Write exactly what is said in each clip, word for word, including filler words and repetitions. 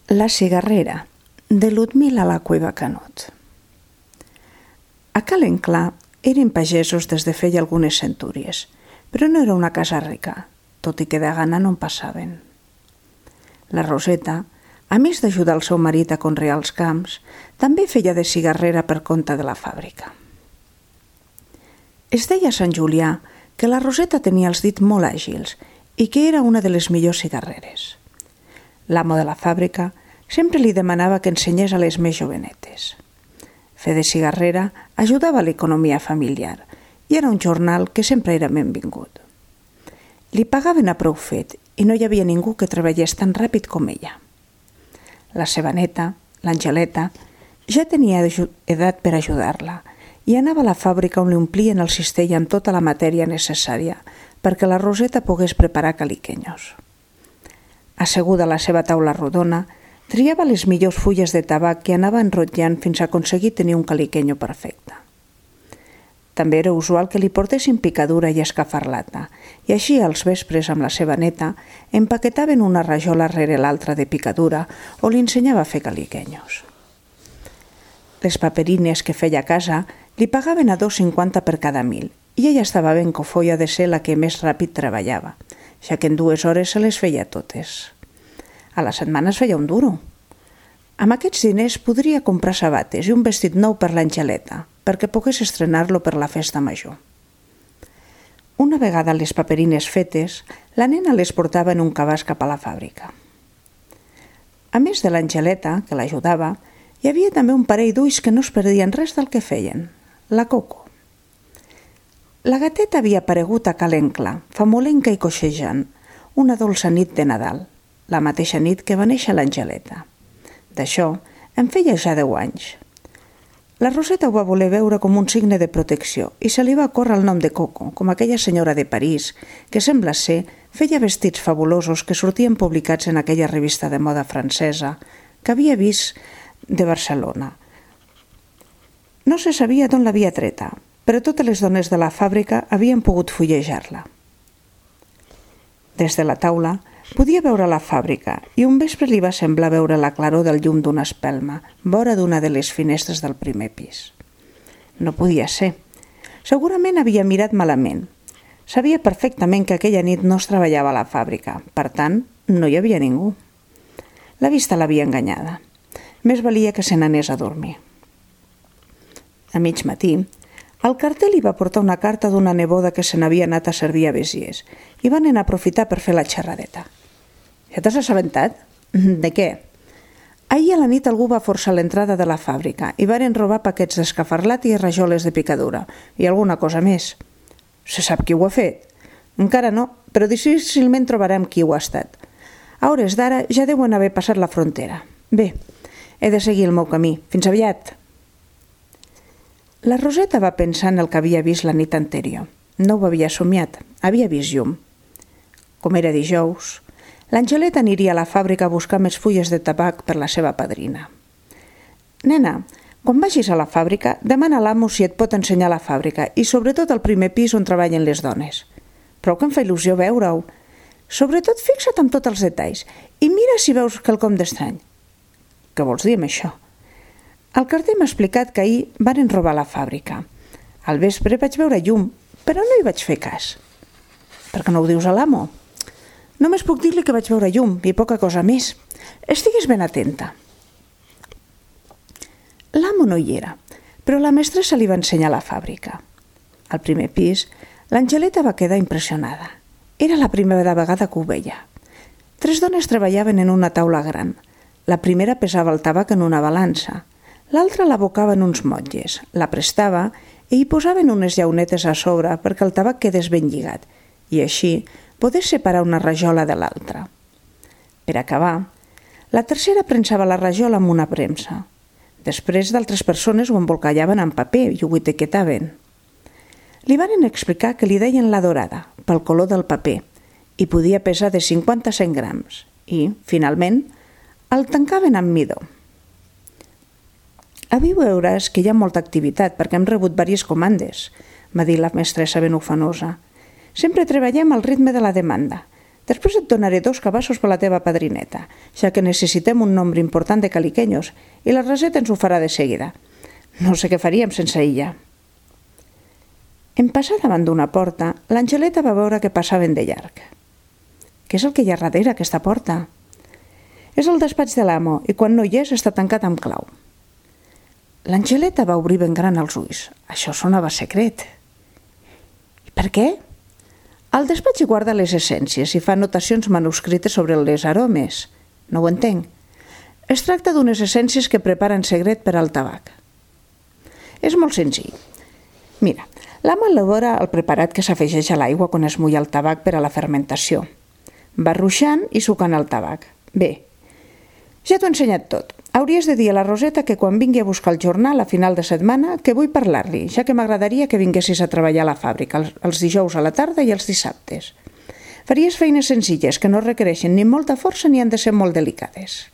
La cigarrera, de Ludmila la Cueva Canut. A Calenclà eren pagesos des de feia algunes centúries, però no era una casa rica, tot i que de gana no en passaven. La Roseta, a més d'ajudar el seu marit a conrear els camps, també feia de cigarrera per compte de la fàbrica. Es deia a Sant Julià que la Roseta tenia els dits molt àgils i que era una de les millors cigarreres. L'amo de la fàbrica sempre li demanava que ensenyés a les més jovenetes. Fer de cigarrera ajudava a l'economia familiar i era un jornal que sempre era benvingut. Li pagaven a prou fet i no hi havia ningú que treballés tan ràpid com ella. La seva neta, l'Angeleta, ja tenia edat per ajudar-la i anava a la fàbrica on li omplien el cistell amb tota la matèria necessària perquè la Roseta pogués preparar caliquenyos. Asseguda a la seva taula rodona, triava les millors fulles de tabac que anava enrotllant fins a aconseguir tenir un caliquenyo perfecte. També era usual que li portessin picadura i escafarlata, i així als vespres amb la seva neta empaquetaven una rajola rere l'altra de picadura o li ensenyava a fer caliquenyos. Les paperines que feia a casa li pagaven a dos cinquanta per cada mil i ella estava ben cofoia de ser la que més ràpid treballava, ja que en dues hores se les feia totes. A la setmana es feia un duro. Amb aquests diners podria comprar sabates i un vestit nou per l'Angeleta, perquè pogués estrenar-lo per la festa major. Una vegada les paperines fetes, la nena les portava en un cabàs cap a la fàbrica. A més de l'Angeleta, que l'ajudava, hi havia també un parell d'ulls que no es perdien res del que feien, la Coco. La gateta havia aparegut a Calenclà, famolenca i coixejant, una dolça nit de Nadal, la mateixa nit que va néixer l'Angeleta. D'això en feia ja deu anys. La Roseta ho va voler veure com un signe de protecció i se li va córrer el nom de Coco, com aquella senyora de París que, sembla ser, feia vestits fabulosos que sortien publicats en aquella revista de moda francesa que havia vist de Barcelona. No se sabia d'on l'havia treta, però totes les dones de la fàbrica havien pogut fullejar-la. Des de la taula podia veure la fàbrica i un vespre li va semblar veure la claror del llum d'una espelma vora d'una de les finestres del primer pis. No podia ser. Segurament havia mirat malament. Sabia perfectament que aquella nit no es treballava a la fàbrica, per tant, no hi havia ningú. La vista l'havia enganyada. Més valia que se n'anés a dormir. A mig matí, el carter li va portar una carta d'una neboda que se n'havia anat a servir a Besiers i van anar a aprofitar per fer la xerradeta. Ja t'has assabentat? De què? Ahir a la nit algú va forçar l'entrada de la fàbrica i varen robar paquets d'escafarlat i rajoles de picadura i alguna cosa més. Se sap qui ho ha fet? Encara no, però difícilment trobarem qui ho ha estat. A hores d'ara ja deuen haver passat la frontera. Bé, he de seguir el meu camí. Fins aviat! La Roseta va pensar en el que havia vist la nit anterior. No ho havia somiat, havia vist llum. Com era dijous, l'Angeleta aniria a la fàbrica a buscar més fulles de tabac per la seva padrina. Nena, quan vagis a la fàbrica, demana a l'amo si et pot ensenyar la fàbrica i sobretot el primer pis on treballen les dones. Prou que em fa il·lusió veure-ho. Sobretot fixa't en tots els detalls i mira si veus quelcom d'estrany. Què vols dir amb això? El carter m'ha explicat que ahir varen robar la fàbrica. Al vespre vaig veure llum, però no hi vaig fer cas. Per què no ho dius a l'amo? Només puc dir-li que vaig veure llum i poca cosa més. Estigues ben atenta. L'amo no hi era, però la mestressa li va ensenyar la fàbrica. Al primer pis, l'Angeleta va quedar impressionada. Era la primera vegada que ho veia. Tres dones treballaven en una taula gran. La primera pesava el tabac en una balança. L'altra l'abocava en uns motlles, la prestava i hi posaven unes llaunetes a sobre perquè el tabac quedés ben lligat i així podés separar una rajola de l'altra. Per acabar, la tercera prensava la rajola amb una premsa. Després d'altres persones ho embolcallaven en paper i ho etiquetaven. Li varen explicar que li deien la dorada pel color del paper i podia pesar de cinquanta a cent grams i, finalment, el tancaven amb midó. Avui veuràs que hi ha molta activitat perquè hem rebut diverses comandes, m'ha dit la mestressa ben ufanosa. Sempre treballem al ritme de la demanda. Després et donaré dos cabassos per la teva padrineta, ja que necessitem un nombre important de caliquenyos i la Roseta ens ho farà de seguida. No sé què faríem sense ella. En passar davant d'una porta, l'Angeleta va veure que passaven de llarg. Què és el que hi ha darrere aquesta porta? És el despatx de l'amo i quan no hi és està tancat amb clau. L'Angeleta va obrir ben gran els ulls. Això sonava secret. I per què? Al despatx hi guarda les essències i fa anotacions manuscrites sobre les aromes. No ho entenc. Es tracta d'unes essències que prepara en secret per al tabac. És molt senzill. Mira, l'amo elabora el preparat que s'afegeix a l'aigua quan es mulla el tabac per a la fermentació. Va ruixant i sucant el tabac. Bé, ja t'ho he ensenyat tot. Hauries de dir a la Roseta que quan vingui a buscar el jornal a final de setmana que vull parlar-li, ja que m'agradaria que vinguessis a treballar a la fàbrica els dijous a la tarda i els dissabtes. Faries feines senzilles que no requereixen ni molta força ni han de ser molt delicades.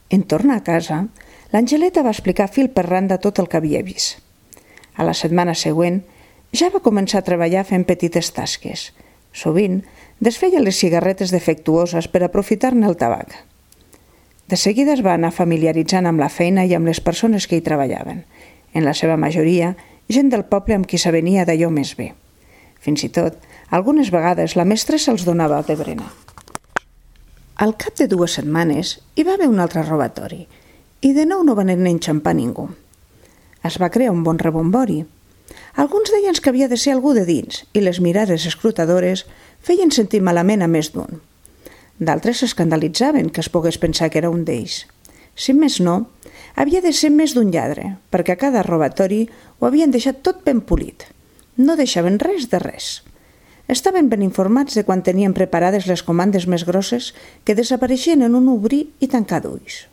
En tornar a casa, l'Angeleta va explicar fil per randa tot el que havia vist. A la setmana següent ja va començar a treballar fent petites tasques. Sovint desfeia les cigarretes defectuoses per aprofitar-ne el tabac. De seguida es va anar familiaritzant amb la feina i amb les persones que hi treballaven, en la seva majoria gent del poble amb qui s'avenia d'allò més bé. Fins i tot, algunes vegades la mestressa els donava de berenar. Al cap de dues setmanes hi va haver un altre robatori i de nou no van anar enxampar ningú. Es va crear un bon rebombori. Alguns deien que havia de ser algú de dins i les mirades escrutadores feien sentir malament a més d'un. D'altres s'escandalitzaven que es pogués pensar que era un d'ells. Si més no, havia de ser més d'un lladre, perquè a cada robatori ho havien deixat tot ben polit. No deixaven res de res. Estaven ben informats de quan tenien preparades les comandes més grosses que desapareixien en un obrir i tancar d'ulls.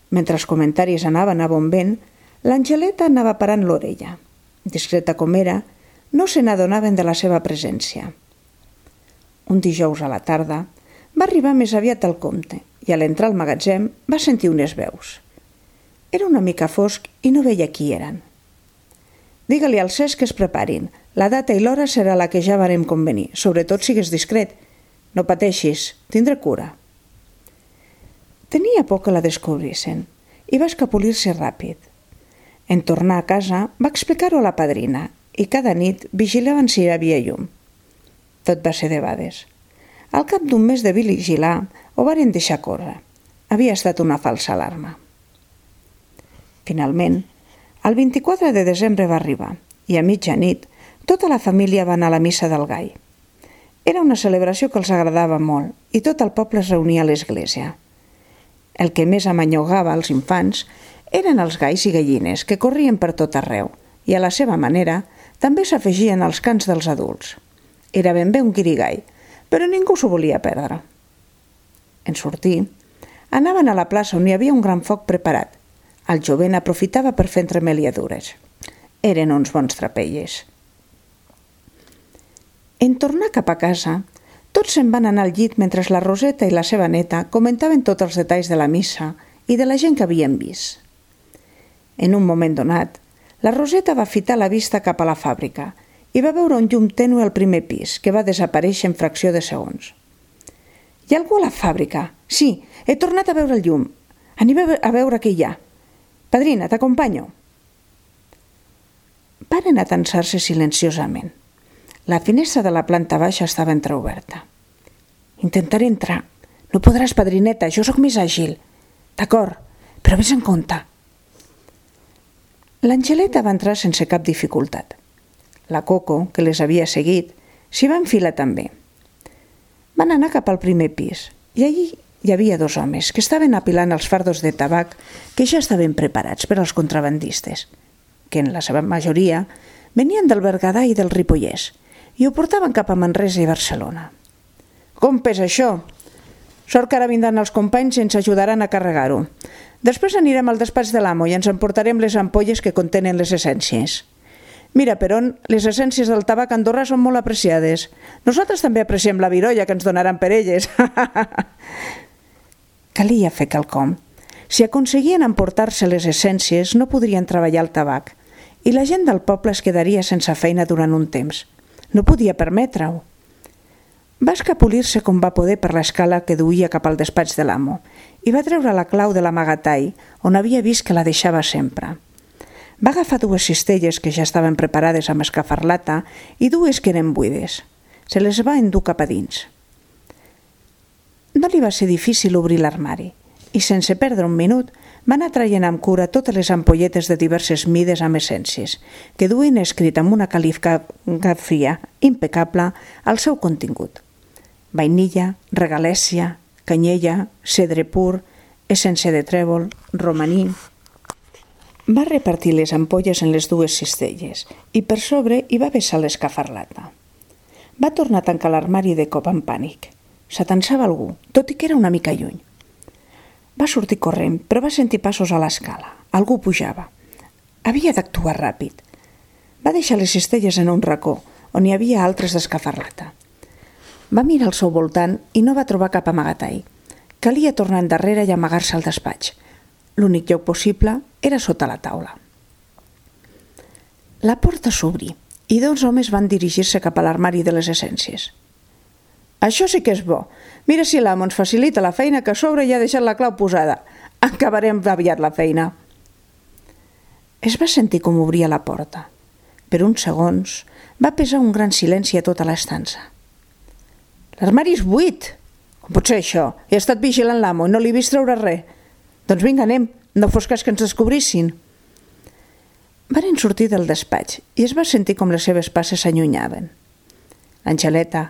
Mentre els comentaris anaven a bon vent, l'Angeleta anava parant l'orella. Discreta com era, no se n'adonaven de la seva presència. Un dijous a la tarda va arribar més aviat al compte i a l'entrar al magatzem va sentir unes veus. Era una mica fosc i no veia qui eren. Digue-li al Cesc que es preparin. La data i l'hora serà la que ja varem convenir. Sobretot sigues discret. No pateixis, tindré cura. Tenia por que la descobrissin i va escapolir-se ràpid. En tornar a casa va explicar-ho a la padrina i cada nit vigilaven si hi havia llum. Tot va ser debades. Al cap d'un mes de vigilar ho varen deixar córrer. Havia estat una falsa alarma. Finalment, el vint-i-quatre de desembre va arribar i a mitjanit tota la família va anar a la missa del gall. Era una celebració que els agradava molt i tot el poble es reunia a l'església. El que més amanyogava als infants eren els galls i gallines que corrien per tot arreu i a la seva manera també s'afegien als cants dels adults. Era ben bé un guirigall, però ningú s'ho volia perdre. En sortir, anaven a la plaça on hi havia un gran foc preparat. El jovent aprofitava per fer entremeliadures. Eren uns bons trapelles. En tornar cap a casa, tots se'n van anar al llit mentre la Roseta i la seva neta comentaven tots els detalls de la missa i de la gent que havien vist. En un moment donat, la Roseta va fitar la vista cap a la fàbrica i va veure un llum tènue al primer pis, que va desaparèixer en fracció de segons. Hi ha algú a la fàbrica? Sí, he tornat a veure el llum. Anem a veure què hi ha. Padrina, t'acompanyo. Varen atansar-se silenciosament. La finestra de la planta baixa estava entreoberta. Intentaré entrar. No podràs, padrineta, jo sóc més àgil. D'acord, però vés en compte. L'Angeleta va entrar sense cap dificultat. La Coco, que les havia seguit, s'hi va enfilar també. Van anar cap al primer pis i allí hi havia dos homes que estaven apilant els fardos de tabac que ja estaven preparats per als contrabandistes, que en la seva majoria venien del Berguedà i del Ripollès i ho portaven cap a Manresa i Barcelona. Com pesa això? Sort que ara vindran els companys i ens ajudaran a carregar-ho. Després anirem al despatx de l'amo i ens emportarem les ampolles que contenen les essències. Mira, Perón, les essències del tabac andorrà són molt apreciades. Nosaltres també apreciem la virolla que ens donaran per elles. Calia fer quelcom. Si aconseguien emportar-se les essències, no podrien treballar el tabac i la gent del poble es quedaria sense feina durant un temps. No podia permetre-ho. Va escapolir-se com va poder per l'escala que duia cap al despatx de l'amo i va treure la clau de l'amagatall on havia vist que la deixava sempre. Va agafar dues cistelles que ja estaven preparades amb escafarlata i dues que eren buides. Se les va endur cap a dins. No li va ser difícil obrir l'armari i, sense perdre un minut, va anar traient amb cura totes les ampolletes de diverses mides amb essències que duien escrit amb una cal·ligrafia impecable el seu contingut. Vainilla, regalèssia, canyella, cedre pur, essència de trèvol, romaní. Va repartir les ampolles en les dues cistelles i per sobre hi va vessar l'escafarlata. Va tornar a tancar l'armari de cop en pànic. S'atensava algú, tot i que era una mica lluny. Va sortir corrent, però va sentir passos a l'escala. Algú pujava. Havia d'actuar ràpid. Va deixar les cistelles en un racó, on hi havia altres d'escafarlata. Va mirar al seu voltant i no va trobar cap amagatall. Calia tornar endarrere i amagar-se al despatx. L'únic lloc possible era sota la taula. La porta s'obrí i dos homes van dirigir-se cap a l'armari de les essències. Això sí que és bo. Mira si l'amo ens facilita la feina que a sobre ja ha deixat la clau posada. Acabarem aviat la feina. Es va sentir com obria la porta. Per uns segons va pesar un gran silenci a tota l'estança. L'armari és buit. Com pot ser això? He estat vigilant l'amo i no li he vist treure res. Doncs vinga, anem. No fos cas que ens descobrissin. Varen sortir del despatx i es va sentir com les seves passes s'allunyaven. L'Angeleta,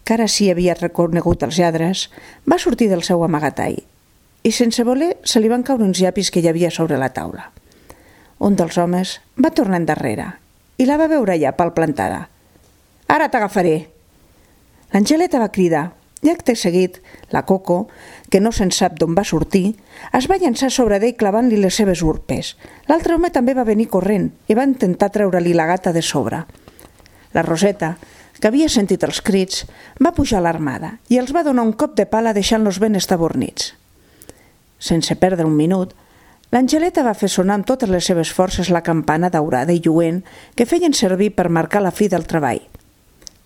que ara sí havia reconegut els lladres, va sortir del seu amagatall i sense voler se li van caure uns llapis que hi havia sobre la taula. Un dels homes va tornar endarrere i la va veure allà palplantada. Ara t'agafaré! L'Angeleta va cridar i acte seguit la Coco, que no se'n sap d'on va sortir, es va llançar sobre d'ell clavant-li les seves urpes. L'altre home també va venir corrent i va intentar treure-li la gata de sobre. La Roseta, que havia sentit els crits, va pujar a l'armada i els va donar un cop de pala deixant-los ben estabornits. Sense perdre un minut, l'Angeleta va fer sonar amb totes les seves forces la campana daurada i lluent que feien servir per marcar la fi del treball.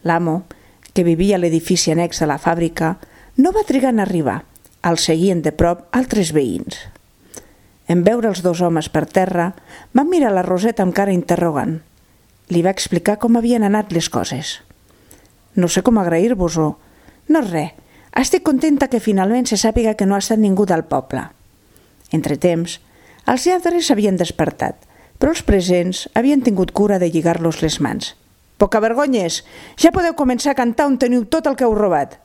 L'amo, que vivia a l'edifici annex de la fàbrica, no va trigar en arribar. El seguien de prop altres veïns. En veure els dos homes per terra, van mirar la Roseta amb cara interrogant. Li va explicar com havien anat les coses. No sé com agrair-vos-ho. No res. Estic contenta que finalment se sàpiga que no ha estat ningú del poble. Entretemps, els lladres s'havien despertat, però els presents havien tingut cura de lligar-los les mans. Pocavergonyes, ja podeu començar a cantar on teniu tot el que heu robat.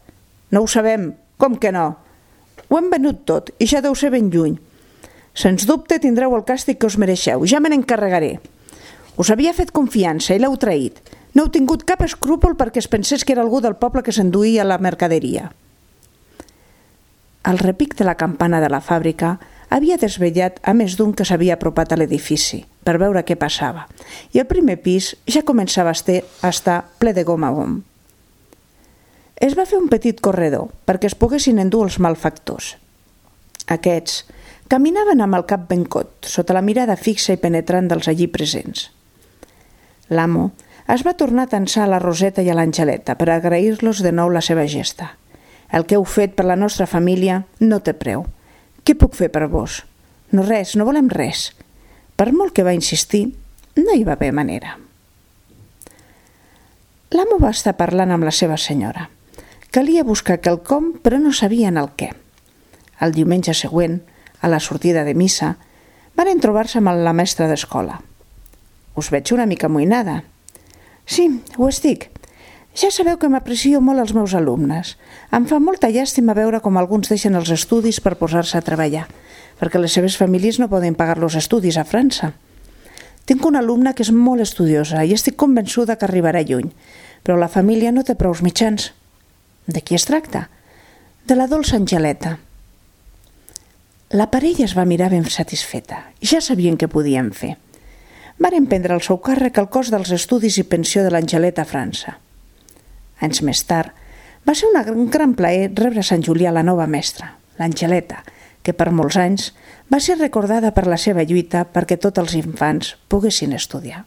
No ho sabem, com que no? Ho hem venut tot i ja deu ser ben lluny. Sens dubte tindreu el càstig que us mereixeu, ja me n'encarregaré. Us havia fet confiança i l'heu traït. No heu tingut cap escrúpol perquè es pensés que era algú del poble que s'enduïa la mercaderia. El repic de la campana de la fàbrica havia desvetllat a més d'un que s'havia apropat a l'edifici per veure què passava, i el primer pis ja començava a estar ple de gom a gom. Es va fer un petit corredor perquè es poguessin endur els malfactors. Aquests caminaven amb el cap ben cot, sota la mirada fixa i penetrant dels allí presents. L'amo es va tornar a tensar a la Roseta i a l'Angeleta per agrair-los de nou la seva gesta. El que heu fet per la nostra família no té preu. Què puc fer per vos? No res, no volem res. Per molt que va insistir, no hi va haver manera. L'amo va estar parlant amb la seva senyora. Calia buscar quelcom, però no sabien el què. El diumenge següent, a la sortida de missa, van trobar-se amb la mestra d'escola. Us veig una mica amoïnada. Sí, ho estic. Ja sabeu que m'aprecio molt els meus alumnes. Em fa molta llàstima veure com alguns deixen els estudis per posar-se a treballar, perquè les seves famílies no poden pagar los estudis a França. Tinc una alumna que és molt estudiosa i estic convençuda que arribarà lluny, però la família no té prous mitjans. De qui es tracta? De la dolça Angeleta. La parella es va mirar ben satisfeta i ja sabien què podien fer. Varen prendre al seu càrrec el cost dels estudis i pensió de l'Angeleta a França. Anys més tard, va ser un gran plaer rebre a Sant Julià la nova mestra, l'Angeleta, que per molts anys va ser recordada per la seva lluita perquè tots els infants poguessin estudiar.